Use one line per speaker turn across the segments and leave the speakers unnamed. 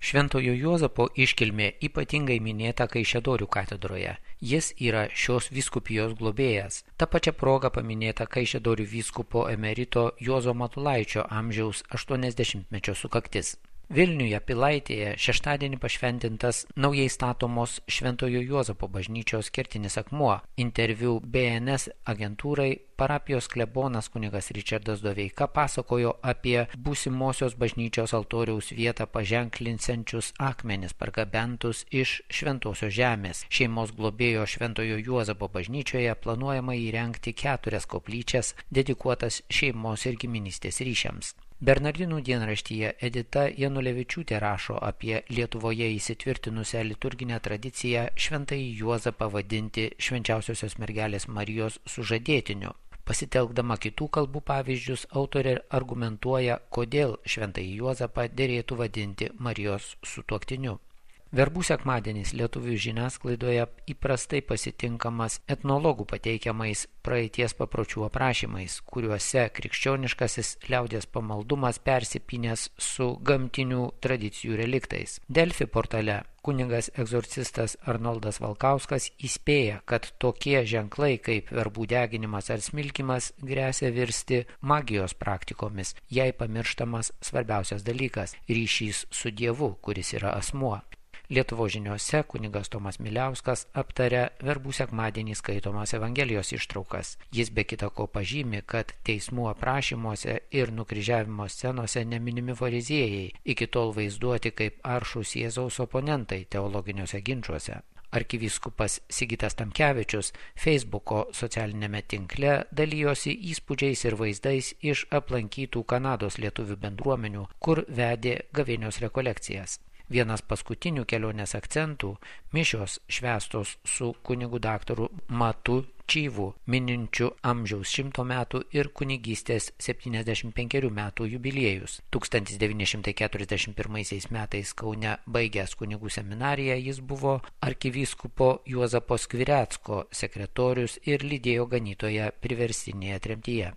Šventojo Juozapo iškilmė ypatingai minėta Kaišiadorių katedroje. Jis yra šios vyskupijos globėjas. Ta pačia proga paminėta Kaišiadorių vyskupo emerito Juozo Matulaičio amžiaus 80-mečio sukaktis. Vilniuje Pilaitėje šeštadienį pašventintas naujai statomos Šventojo Juozapo bažnyčios kertinis akmuo. Interviu BNS agentūrai parapijos klebonas kunigas Ričardas Doveika pasakojo apie būsimosios bažnyčios altoriaus vietą paženklinsiančius akmenis pargabentus iš šventosios žemės. Šeimos globėjo Šventojo Juozapo bažnyčioje planuojama įrengti 4 koplyčias dedikuotas šeimos ir giminystės ryšiams. Bernardinų dienraštyje Edita Janulevičiūtė rašo apie Lietuvoje įsitvirtinusią liturginę tradiciją Šventąjį Juozapą vadinti Švenčiausiosios mergelės Marijos sužadėtiniu. Pasitelkdama kitų kalbų pavyzdžius, autorė argumentuoja, kodėl Šventąjį Juozapą derėtų vadinti Marijos sutuoktiniu. Verbų sekmadienis lietuvių žiniasklaidoje įprastai pasitinkamas etnologų pateikiamais praeities papročių aprašymais, kuriuose krikščioniškasis liaudies pamaldumas persipynęs su gamtinių tradicijų reliktais. Delfi portale kunigas egzorcistas Arnoldas Valkauskas įspėja, kad tokie ženklai kaip verbų deginimas ar smilkimas gresia virsti magijos praktikomis, jei pamirštamas svarbiausias dalykas – ryšys su Dievu, kuris yra asmuo. Lietuvos žiniose kunigas Tomas Miliauskas aptarė verbų sekmadienį skaitomas Evangelijos ištraukas. Jis be kita ko pažymi, kad teismų aprašymuose ir nukryžiavimo scenose neminimi fariziejai, iki tol vaizduoti kaip aršūs Jėzaus oponentai teologiniuose ginčuose. Arkivyskupas Sigitas Tamkevičius Facebooko socialinėme tinkle dalijosi įspūdžiais ir vaizdais iš aplankytų Kanados lietuvių bendruomenių, kur vedė gavėnios rekolekcijas. Vienas paskutinių kelionės akcentų – mišios švęstos su kunigu daktaru Matu Čyvu, mininčiu amžiaus 100 metų ir kunigystės 75 metų jubiliejus. 1941 metais Kaune baigęs kunigų seminariją jis buvo arkivyskupo Juozapo Skvirecko sekretorius ir lydėjo ganytoją priverstinėje tremtyje.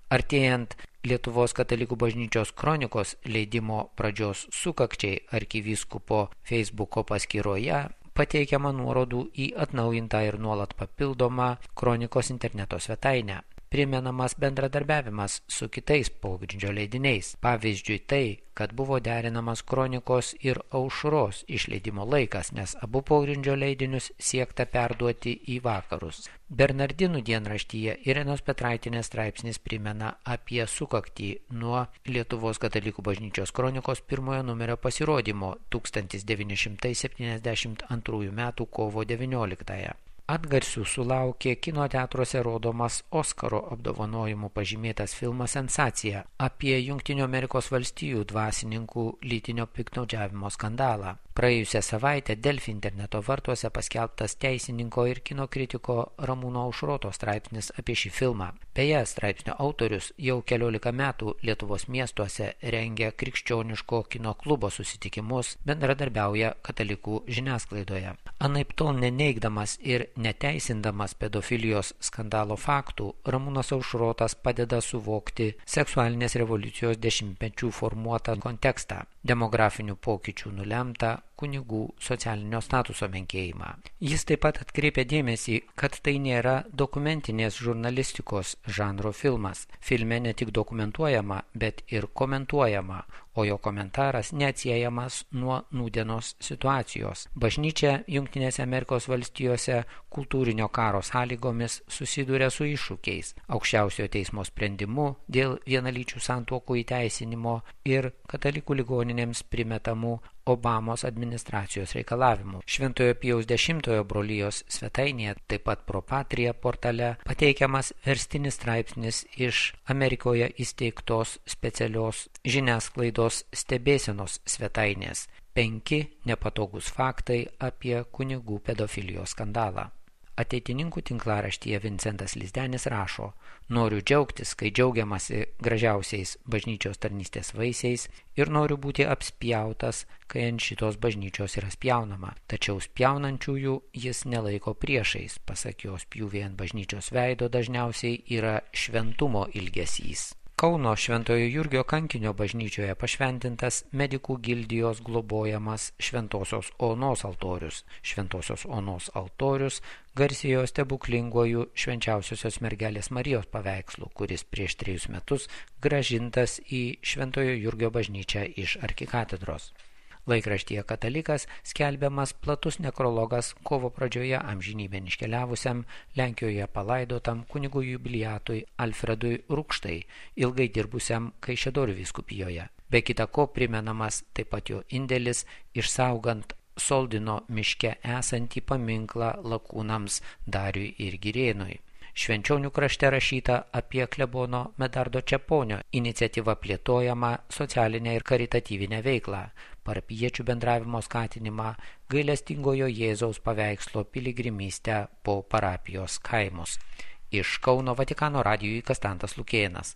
Artėjant Lietuvos katalikų bažnyčios kronikos leidimo pradžios sukakčiai arkivyskupo Facebooko paskyroje pateikiama nuorodų į atnaujintą ir nuolat papildomą kronikos interneto svetainę. Primenamas bendradarbiavimas su kitais pogrindžio leidiniais. Pavyzdžiui tai, kad buvo derinamas kronikos ir aušros išleidimo laikas, nes abu pogrindžio leidinius siekta perduoti į vakarus. Bernardinų dienraštyje Irenos Petraitinės straipsnis primena apie sukaktį nuo Lietuvos katalikų bažnyčios kronikos pirmojo numerio pasirodymo 1972 m. kovo 19. Atgarsių sulaukė kino teatruose rodomas Oskaro apdovanojimų pažymėtas filmas Sensacija apie Jungtinių Amerikos valstijų dvasininkų lytinio piktnaudžiavimo skandalą. Praėjusią savaitę Delfi interneto vartuose paskelbtas teisininko ir kino kritiko Ramūno Aušroto straipsnis apie šį filmą. Beje, straipsnio autorius jau 14 metų Lietuvos miestuose rengia krikščioniško kino klubo susitikimus, bendradarbiauja katalikų žiniasklaidoje. Anaiptol neneigdamas ir neteisindamas pedofilijos skandalo faktų, Ramūnas Aušrotas padeda suvokti seksualinės revoliucijos dešimtmečių formuotą kontekstą, demografinių pokyčių nulemtą kunigų socialinio statuso menkėjimą. Jis taip pat atkreipia dėmesį, kad tai nėra dokumentinės žurnalistikos žanro filmas. Filme ne tik dokumentuojama, bet ir komentuojama, o jo komentaras neatsiejamas nuo nūdienos situacijos. Bažnyčia Jungtinėse Amerikos valstijose kultūrinio karo sąlygomis susiduria su iššūkiais, aukščiausiojo teismo sprendimu dėl vienalyčių santuokų įteisinimo ir katalikų ligoninėms primetamų Obamos administracijos reikalavimų. Šventojo Pijaus X brolijos svetainėje, taip pat Pro Patria portale, pateikiamas verstinis straipsnis iš Amerikoje įsteigtos specialios žiniasklaidos stebėsenos svetainės 5 nepatogus faktai apie kunigų pedofilijos skandalą. Ateitininkų tinklaraštyje Vincentas Lizdenis rašo: noriu džiaugtis, kai džiaugiamasi gražiausiais bažnyčios tarnystės vaisiais ir noriu būti apspjautas, kai ant šitos bažnyčios yra spjaunama. Tačiau spjaunančiųjų jis nelaiko priešais, pasak jos pjūvė ant bažnyčios veido dažniausiai yra šventumo ilgesys. Kauno Šventojo Jurgio kankinio bažnyčioje pašventintas medikų gildijos globojamas Šventosios Onos altorius. Šventosios Onos altorius garsėjo stebuklinguoju Švenčiausiosios mergelės Marijos paveikslu, kuris prieš 3 metus grąžintas į Šventojo Jurgio bažnyčią iš arkikatedros. Laikraštyje Katalikas skelbiamas platus nekrologas kovo pradžioje amžinybėn iškeliavusiam Lenkijoje palaidotam kunigų jubiliatui Alfredui Rukštai, ilgai dirbusiam Kaišiadorių vyskupijoje. Be kita ko primenamas taip pat jo indėlis išsaugant Soldino miške esantį paminklą lakūnams Dariui ir Girėnui. Švenčionių krašte rašyta apie klebono Medardo Čeponio iniciatyva plėtojama socialinę ir karitatyvinę veiklą, parapijiečių bendravimo skatinimą, gailestingojo Jėzaus paveikslo piligrimystę po parapijos kaimus. Iš Kauno Vatikano radijui Kastantas Lukėnas.